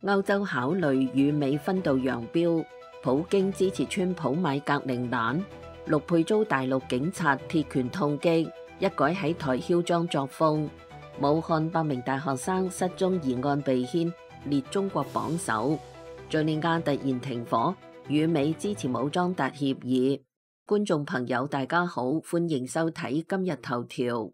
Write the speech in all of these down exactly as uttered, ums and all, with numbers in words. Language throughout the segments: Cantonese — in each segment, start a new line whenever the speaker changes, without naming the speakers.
歐洲考慮與美分道揚鑣，普京支持川普買格陵蘭，陸配遭大陸警察鐵拳痛擊，一改喺台囂張作風。武漢八名大學生失蹤疑案被牽列中國榜首。敘利亞突然停火，與美支持武裝達協議。觀眾朋友大家好，歡迎收睇今日頭條。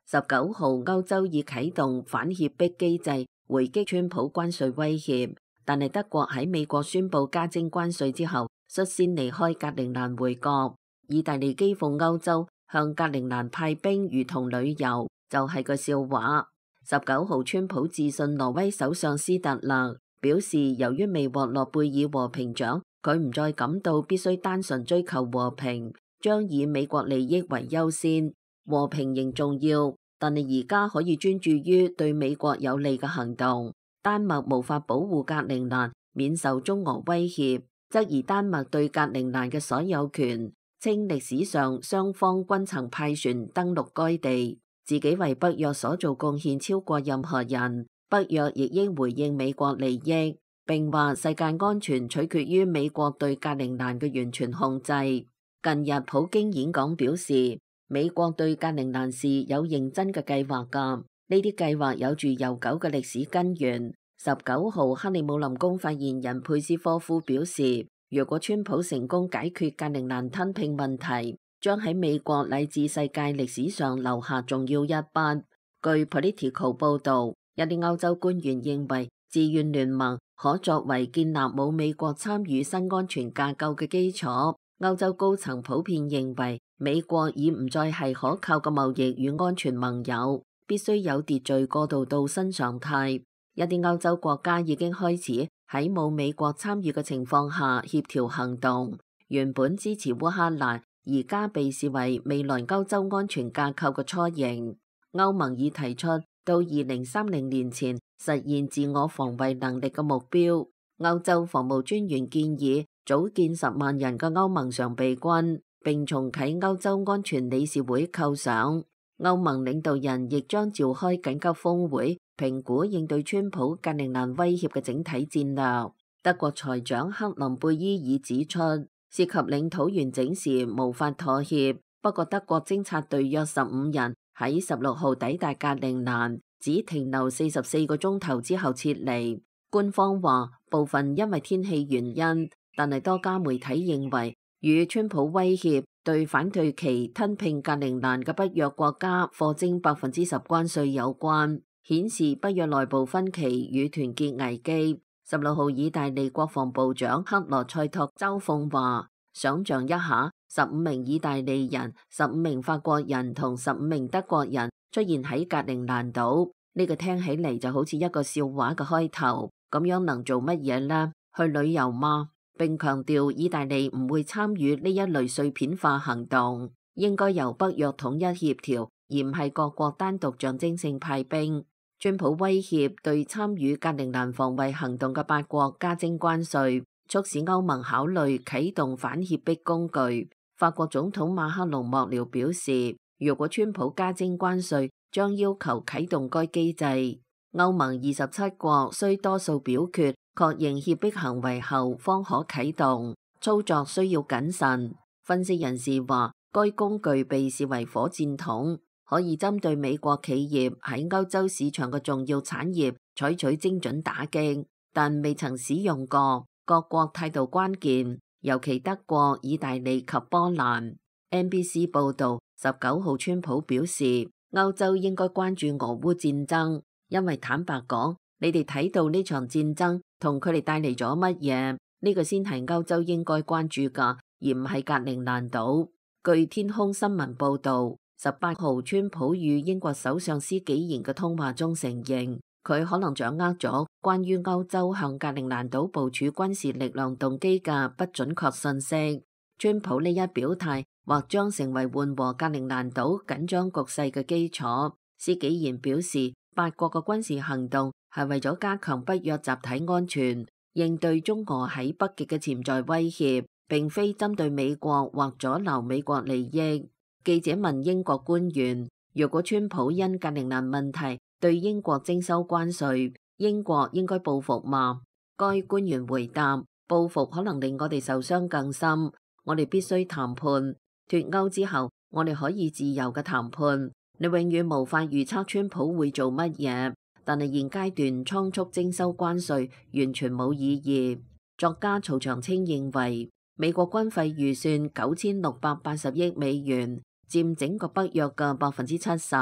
十九號，歐洲已啟動反脅迫機制，回擊川普關稅威脅。但係德國喺美國宣布加徵關稅之後，率先離開格陵蘭回國。意大利譏諷歐洲向格陵蘭派兵如同旅遊，就係個笑話。十九號，川普致信挪威首相斯特勒，表示由於未獲諾貝爾和平獎，佢唔再感到必須單純追求和平，將以美國利益為優先。和平仍重要，但係而家可以專注於對美國有利嘅行動。丹麥無法保護格陵蘭免受中俄威脅，質疑丹麥對格陵蘭嘅所有權，稱歷史上雙方均曾派船登陸該地，自己為北約所做貢獻超過任何人，北約亦應回應美國利益，並話世界安全取決於美國對格陵蘭嘅完全控制。近日普京演講表示，美國對格陵蘭是有認真嘅計劃㗎，呢啲計劃有住悠久嘅歷史根源。十九號，克里姆林宮發言人佩斯科夫表示，如果川普成功解決格陵蘭吞併問題，將喺美國乃至世界歷史上留下重要一筆。據 Politico 報導，一啲歐洲官員認為，自願聯盟可作為建立冇美國參與新安全架構嘅基礎。歐洲高層普遍認為，美國已唔再係可靠嘅貿易與安全盟友，必須有秩序過渡到新常態。一啲歐洲國家已經開始喺冇美國參與嘅情況下協調行動。原本支持烏克蘭，而家被視為未來歐洲安全架構嘅雛形。歐盟已提出到二零三零年前實現自我防衛能力嘅目標。歐洲防務專員建議組建十萬人嘅歐盟常備軍，並重啟歐洲安全理事會構想。歐盟領導人亦將召開緊急峰會，評估應對川普格陵蘭威脅嘅整體戰略。德國財長克林貝伊爾指出，涉及領土完整時無法妥協，不過德國偵察隊約十五人喺十六號抵達格陵蘭，只停留四十四個鐘頭之後撤離。官方話部分因為天氣原因，但係多家媒體認為與川普威脅對反對其吞併格陵蘭嘅北約國家課徵百分之十關稅有關，顯示北約內部分歧與團結危機。十六號，意大利國防部長克羅塞托周奉話，想象一下，十五名意大利人、十五名法國人同十五名德國人出現喺格陵蘭島，呢個聽起嚟就好似一個笑話嘅開頭。咁樣能做乜嘢呢？去旅遊嗎？並強調意大利唔會參與呢一類碎片化行動，應該由北約統一協調，而唔係各國單獨象徵性派兵。川普威脅對參與格陵蘭防衛行動嘅八國加徵關稅，促使歐盟考慮啟動反脅迫工具。法國總統馬克龍幕僚表示，如果川普加徵關稅，將要求啟動該機制。歐盟二十七國需多數表決確認脅迫行為後方可啟動，操作需要謹慎。分析人士話，該工具被視為火箭筒，可以針對美國企業喺歐洲市場嘅重要產業採取精準打擊，但未曾使用過。各國態度關鍵，尤其德國、意大利及波蘭。N B C 報導，十九號川普表示，歐洲應該關注俄烏戰爭。因為坦白講，你哋睇到呢場戰爭同佢哋帶嚟咗乜嘢？呢個先係歐洲應該關注噶，而唔係格陵蘭島。據天空新聞報道，十八號川普與英國首相施紀賢嘅通話中承認，佢可能掌握咗關於歐洲向格陵蘭島部署軍事力量動機嘅不準確信息。川普呢一表態或將成為緩和格陵蘭島緊張局勢嘅基礎。施紀賢表示，八國嘅軍事行動係為咗加強北約集體安全，應對中俄喺北極嘅潛在威脅，並非針對美國或阻撓美國利益。記者問英國官員，若果川普因格陵蘭問題對英國徵收關稅，英國應該報復嗎？該官員回答：報復可能令我哋受傷更深。我哋必須談判。脫歐之後，我哋可以自由嘅談判。你永遠無法預測川普會做乜嘢，但係現階段倉促徵收關稅完全冇意義。作家曹長青認為，美國軍費預算九千六百八十億美元，佔整個北約嘅百分之七十。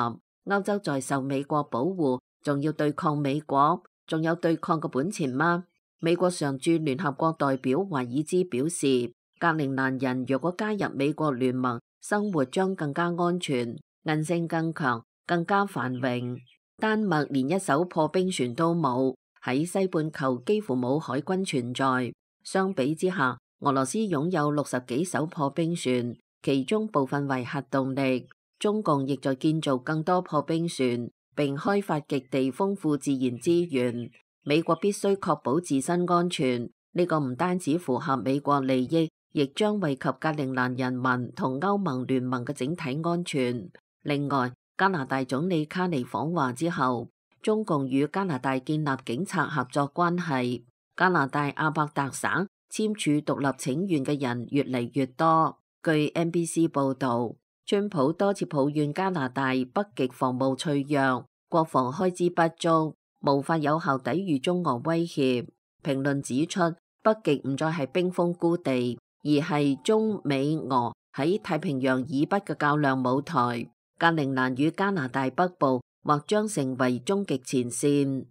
歐洲在受美國保護，仲要對抗美國，仲有對抗嘅本錢嗎？美國常駐聯合國代表華爾茲表示，格陵蘭人若果加入美國聯盟，生活將更加安全，韌性更強，更加繁榮。丹麥連一艘破冰船都冇，喺西半球幾乎冇海軍存在。相比之下，俄羅斯擁有六十幾艘破冰船，其中部分為核動力。中共亦在建造更多破冰船，並開發極地豐富自然資源。美國必須確保自身安全，呢個唔單止符合美國利益，亦將惠及格陵蘭人民同歐盟聯盟嘅整體安全。另外，加拿大總理卡尼訪華之後，中共與加拿大建立警察合作關係。加拿大阿伯達省簽署獨立請願嘅人越嚟越多。據 N B C 報導，川普多次抱怨加拿大北極防務脆弱，國防開支不足，無法有效抵禦中俄威脅。評論指出，北極唔再係冰封孤地，而係中美俄喺太平洋以北嘅較量舞台。格陵蘭與加拿大北部或將成為終極前線。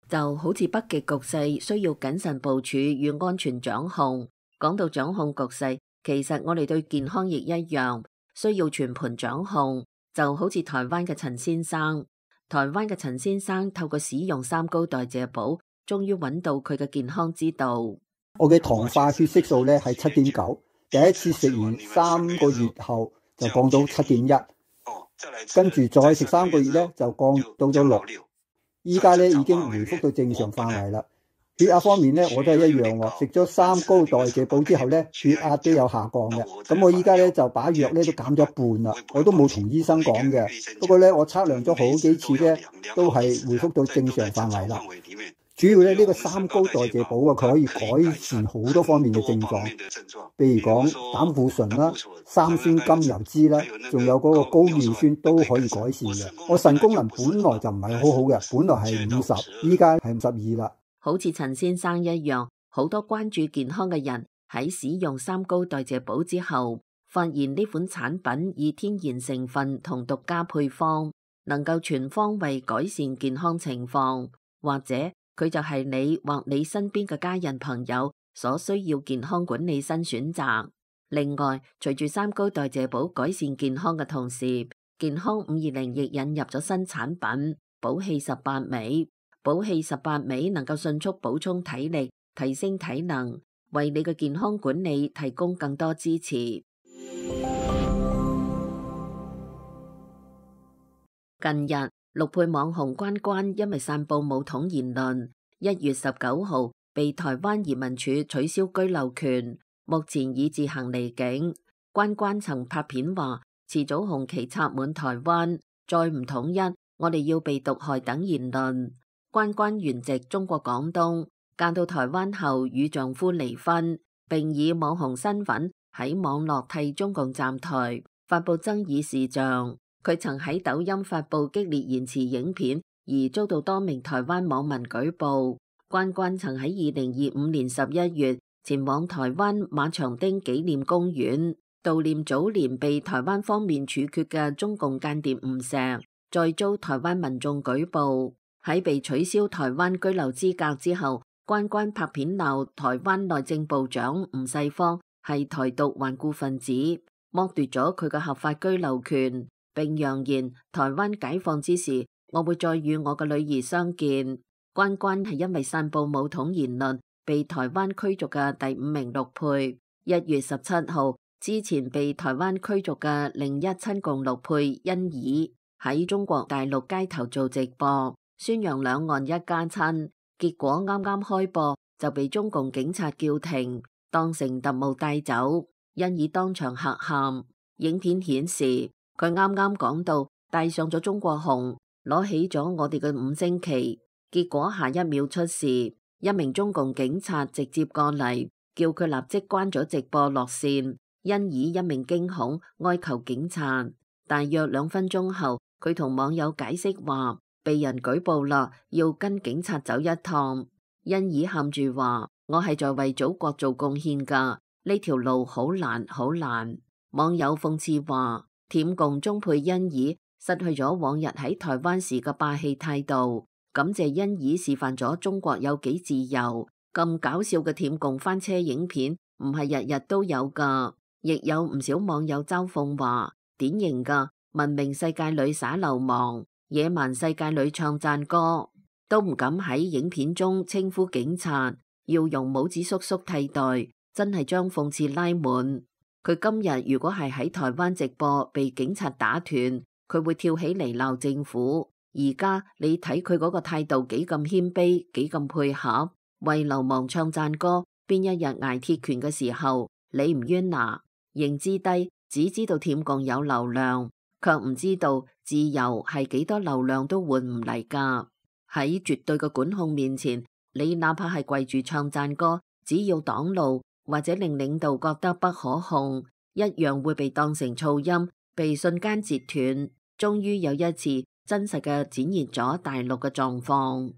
就好似北極局勢需要謹慎部署與安全掌控。講到掌控局勢，其實我哋對健康亦一樣，需要全盤掌控。就好似台灣嘅陳先生，台灣嘅陳先生透過使用三高代謝寶，終於揾到佢嘅健康之道。
我嘅糖化血色素咧係七點九，第一次食完三個月後就降到七點一，跟住再食三個月咧就降到咗六，依家咧已經回復到正常範圍啦。血壓方面咧，我都係一樣喎。食咗三高代謝寶之後咧，血壓都有下降嘅。咁我依家咧就把藥咧都減咗一半啦。我都冇同醫生講嘅，不過咧我測量咗好幾次咧，都係回復到正常範圍啦。主要咧呢個三高代謝寶啊，佢可以改善好多方面嘅症狀，譬如講膽固醇啦、三酸甘油酯啦，仲有嗰個高尿酸都可以改善嘅。我腎功能本來就唔係好好嘅，本來係五十，依家係五十二啦。
好似陳先生一樣，好多關注健康嘅人喺使用三高代謝寶之後，發現呢款產品以天然成分同獨家配方，能夠全方位改善健康情況，或者佢就係你或你身邊嘅家人朋友所需要健康管理新選擇。另外，隨住三高代謝寶改善健康嘅同時，健康五二零亦引入咗新產品寶氣十八味。寶氣十八味能夠迅速補充體力，提升體能，為你嘅健康管理提供更多支持。近日，陸配網紅關關因為散布武統言論，一月十九號被台灣移民署取消居留權，目前已自行離境。關關曾拍片話：遲早紅旗插滿台灣，再唔統一，我哋要被毒害等言論。關關原籍中國廣東，嫁到台灣後與丈夫離婚，並以網紅身份喺網絡替中共站台，發布爭議視像。佢曾喺抖音發布激烈言辭影片，而遭到多名台灣網民舉報。關關曾喺二零二五年十一月前往台灣馬場町紀念公園悼念早年被台灣方面處決嘅中共間諜吳石，再遭台灣民眾舉報。喺被取消台灣居留資格之後，關關拍片鬧台灣內政部長吳世芳係台獨頑固分子，剝奪咗佢嘅合法居留權，並揚言台灣解放之時，我會再與我嘅女兒相見。關關係因為散布武統言論被台灣驅逐嘅第五名陸配。一月十七號之前被台灣驅逐嘅另一親共陸配欣怡喺中國大陸街頭做直播，宣揚兩岸一家親，結果啱啱開播就被中共警察叫停，當成特務帶走。因以當場嚇喊。影片顯示佢啱啱講到戴上咗中國紅，攞起咗我哋嘅五星旗，結果下一秒出事，一名中共警察直接過嚟，叫佢立即關咗直播落線。因以一名驚恐哀求警察。大約兩分鐘後，佢同網友解釋話被人舉報啦，要跟警察走一趟。因以喊住話：我係在為祖國做貢獻噶，呢條路好難好難。網友諷刺話：舔共中配因以失去咗往日喺台灣時嘅霸氣態度，感謝因以示範咗中國有幾自由。咁搞笑嘅舔共翻車影片唔係日日都有噶，亦有唔少網友嘲諷話：典型噶文明世界裏耍流氓，野蠻世界裏唱讚歌，都唔敢喺影片中稱呼警察，要用帽子叔叔替代，真係將諷刺拉滿。佢今日如果係喺台灣直播被警察打斷，佢會跳起嚟鬧政府。而家你睇佢嗰個態度幾咁謙卑，幾咁配合，為流氓唱讚歌。邊一日挨鐵拳嘅時候，你唔冤啊？認知低，只知道舔共有流量，卻唔知道自由係幾多流量都換唔嚟噶。喺絕對嘅管控面前，你哪怕係跪住唱讚歌，只要擋路或者令領導覺得不可控，一樣會被當成噪音，被瞬間截斷。終於有一次真實嘅展現咗大陸嘅狀況。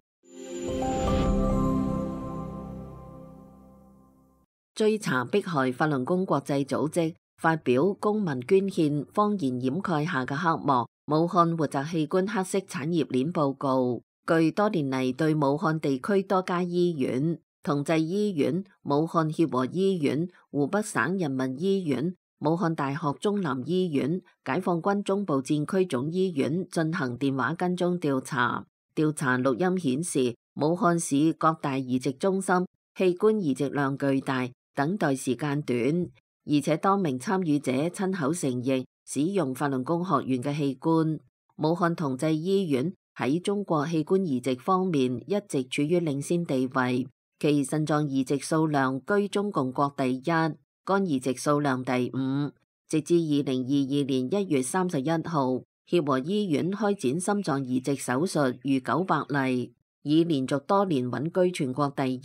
追查迫害法輪功國際組織發表公民捐獻謊言掩蓋下嘅黑幕，武漢活摘器官黑色產業鏈報告。據多年嚟對武漢地區多家醫院、同濟醫院、武漢協和醫院、湖北省人民醫院、武漢大學中南醫院、解放軍中部戰區總醫院進行電話跟蹤調查。調查錄音顯示，武漢市各大移植中心器官移植量巨大，等待時間短，而且多名參與者親口承認使用法輪功學院嘅器官。武漢同濟醫院喺中國器官移植方面一直處於領先地位，其腎臟移植數量居中共國第一，肝移植數量第五。直至二零二二年一月三十一號，協和醫院開展心臟移植手術逾九百例，已連續多年穩居全國第一。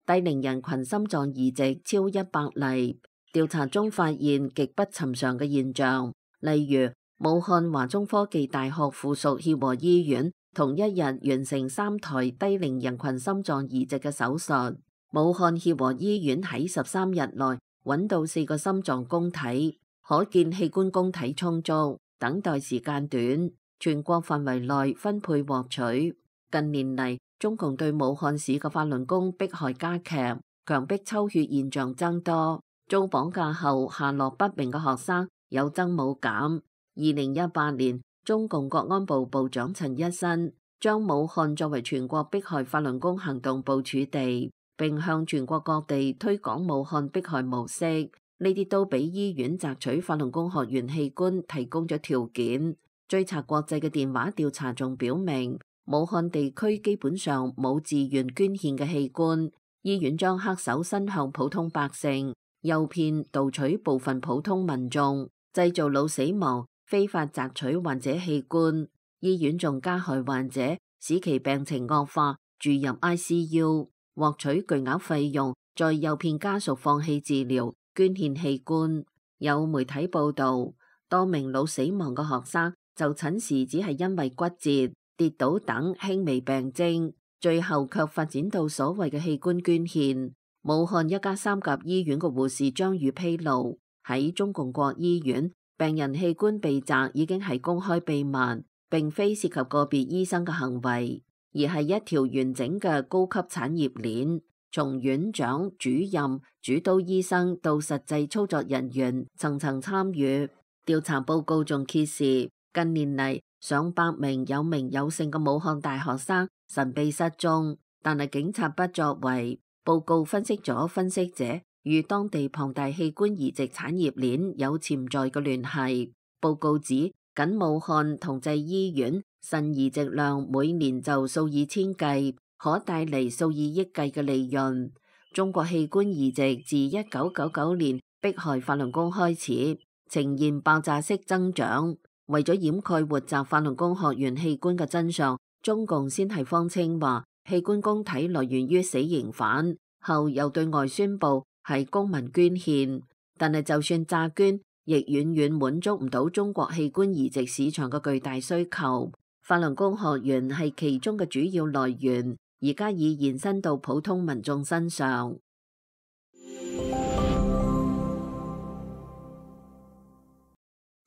低齡人群心臟移植超一百例。調查中發現極不尋常嘅現象，例如武漢華中科技大學附屬協和醫院同一日完成三台低齡人群心臟移植嘅手術。武漢協和醫院喺十三日內揾到四個心臟供體，可見器官供體充足，等待時間短，全國範圍內分配獲取。近年嚟，中共對武漢市嘅法輪功迫害加劇，強迫抽血現象增多，遭綁架後下落不明嘅學生有增冇減。二零一八年，中共國安部部長陳一新將武漢作為全國迫害法輪功行動部署地，並向全國各地推廣武漢迫害模式。呢啲都俾醫院摘取法輪功學院器官提供咗條件。追查國際嘅電話調查仲表明，武漢地區基本上冇自願捐獻嘅器官，醫院將黑手伸向普通百姓，誘騙盜取部分普通民眾，製造腦死亡，非法摘取患者器官。醫院仲加害患者，使其病情惡化，住入 I C U， 獲取巨額費用，再誘騙家屬放棄治療，捐獻器官。有媒體報道，多名腦死亡嘅學生就診時只係因為骨折、跌倒等輕微病徵，最後卻發展到所謂嘅器官捐獻。武漢一家三甲醫院嘅護士張宇披露，喺中共國醫院，病人器官被摘已經係公開秘密，並非涉及個別醫生嘅行為，而係一條完整嘅高級產業鏈，從院長、主任、主刀醫生到實際操作人員，層層參與。調查報告仲揭示，近年嚟上百名有名有姓嘅武漢大學生神秘失蹤，但係警察不作為。報告分析咗分析者與當地龐大器官移植產業鏈有潛在嘅聯繫。報告指，僅武漢同濟醫院腎移植量每年就數以千計，可帶嚟數以億計嘅利潤。中國器官移植自一九九九年迫害法輪功開始，呈現爆炸式增長。為咗掩蓋活摘法輪功學員器官嘅真相，中共先係謊稱話器官供體來源於死刑犯，後又對外宣布係公民捐獻。但係就算詐捐，亦遠遠滿足唔到中國器官移植市場嘅巨大需求。法輪功學員係其中嘅主要來源，而家已延伸到普通民眾身上。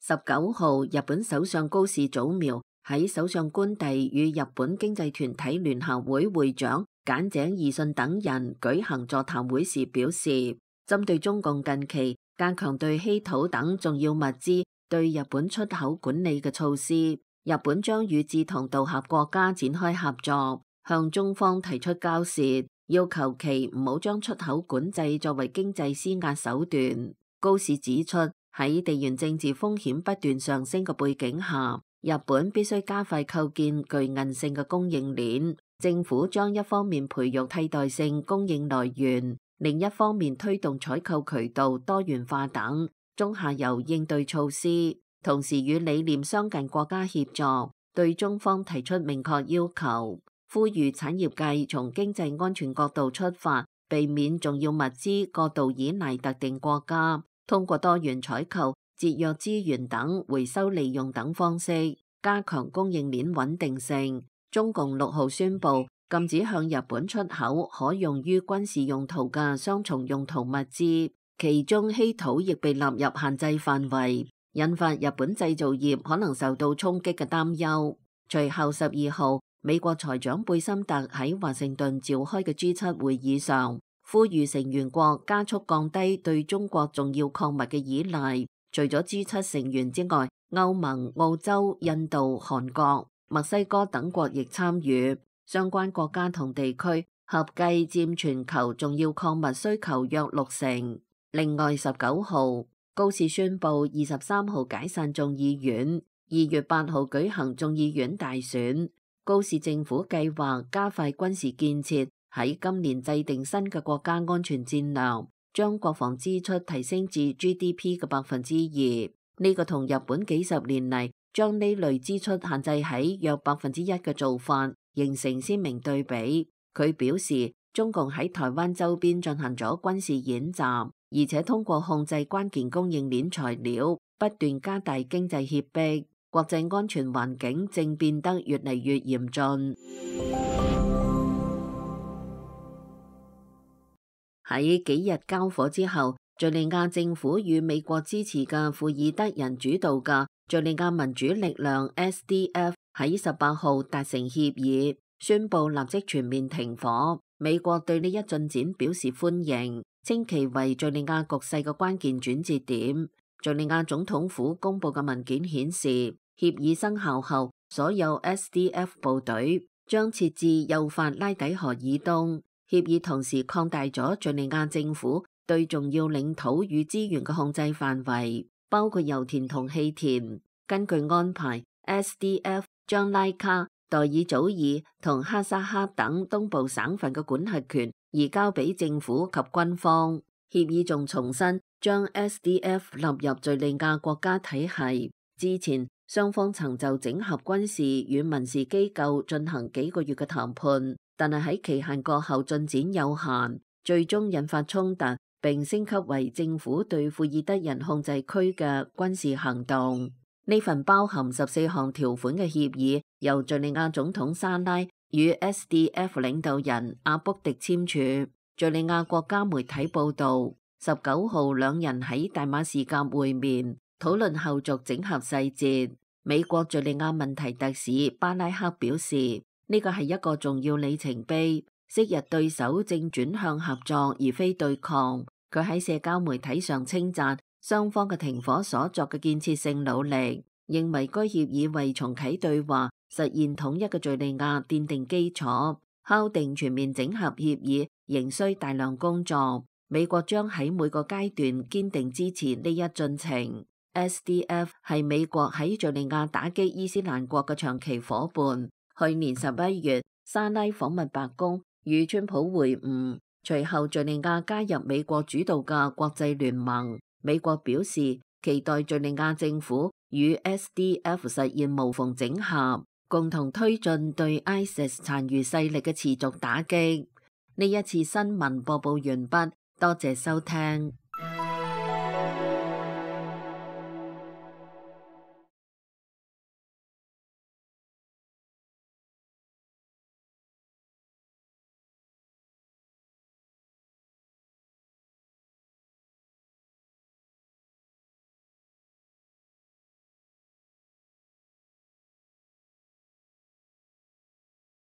十九號，日本首相高市早苗喺首相官邸與日本經濟團體聯合會會長簡井義信等人舉行座談會時表示，針對中共近期加強對稀土等重要物資對日本出口管理嘅措施，日本將與志同道合國家展開合作，向中方提出交涉，要求其唔好將出口管制作為經濟施壓手段。高市指出，喺地緣政治風險不斷上升嘅背景下，日本必須加快構建具韌性嘅供應鏈。政府將一方面培育替代性供應來源，另一方面推動採購渠道多元化等中下游應對措施，同時與理念相近國家協作，對中方提出明確要求，呼籲產業界從經濟安全角度出發，避免重要物資過度依賴特定國家，通過多元採購、節約資源等回收利用等方式，加強供應鏈穩定性。中共六號宣布禁止向日本出口可用於軍事用途嘅雙重用途物資，其中稀土亦被納入限制範圍，引發日本製造業可能受到衝擊嘅擔憂。隨後十二號，美國財長貝森特喺華盛頓召開嘅 G 七 會議上，呼籲成員國加速降低對中國重要礦物嘅依賴。除咗 G 七 成員之外，歐盟、澳洲、印度、韓國、墨西哥等國亦參與。相關國家同地區合計佔全球重要礦物需求約六成。另外，十九號高市宣布二十三號解散眾議院，二月八號舉行眾議院大選。高市政府計劃加快軍事建設，喺今年制定新嘅國家安全戰略，將國防支出提升至 G D P 嘅百分之二。呢個同日本幾十年嚟將呢類支出限制喺約百分之一嘅做法形成鮮明對比。佢表示，中共喺台灣周邊進行咗軍事演習，而且通過控制關鍵供應鏈材料，不斷加大經濟脅迫，國際安全環境正變得越嚟越嚴峻。喺幾日交火之後，敘利亞政府與美國支持嘅庫爾德人主導嘅敘利亞民主力量 S D F 喺十八號達成協議，宣布立即全面停火。美國對呢一進展表示歡迎，稱其為敘利亞局勢嘅關鍵轉折點。敘利亞總統府公布嘅文件顯示，協議生效後，所有 S D F 部隊將設置幼發拉底河以東。協議同時擴大咗敘利亞政府對重要領土與資源嘅控制範圍，包括油田同氣田。根據安排 ，S D F 將拉卡、代爾祖爾同哈薩克等東部省份嘅管轄權移交俾政府及軍方。協議仲重申將 S D F 納入敘利亞國家體系。之前雙方曾就整合軍事與民事機構進行幾個月嘅談判，但係喺期限過後進展有限，最終引發衝突，並升級為政府對庫爾德人控制區嘅軍事行動。呢份包含十四項條款嘅協議，由敘利亞總統沙拉與 S D F 領導人阿卜迪簽署。敘利亞國家媒體報道，十九號兩人喺大馬士革會面，討論後續整合細節。美國敘利亞問題特使巴拉克表示，呢個係一個重要里程碑，昔日對手正轉向合作而非對抗。佢喺社交媒體上稱讚雙方嘅停火所作嘅建設性努力，認為該協議為重啟對話、實現統一嘅敘利亞奠定基礎。敲定全面整合協議仍需大量工作，美國將喺每個階段堅定支持呢一進程。S D F 係美國喺敘利亞打擊伊斯蘭國嘅長期夥伴。去年十一月，沙拉訪問白宮與川普會晤，隨後敘利亞加入美國主導嘅國際聯盟，美國表示期待敘利亞政府與 S D F 實現無縫整合，共同推進對 ISIS 殘餘勢力嘅持續打擊。呢一次新聞播報完畢，多謝收聽。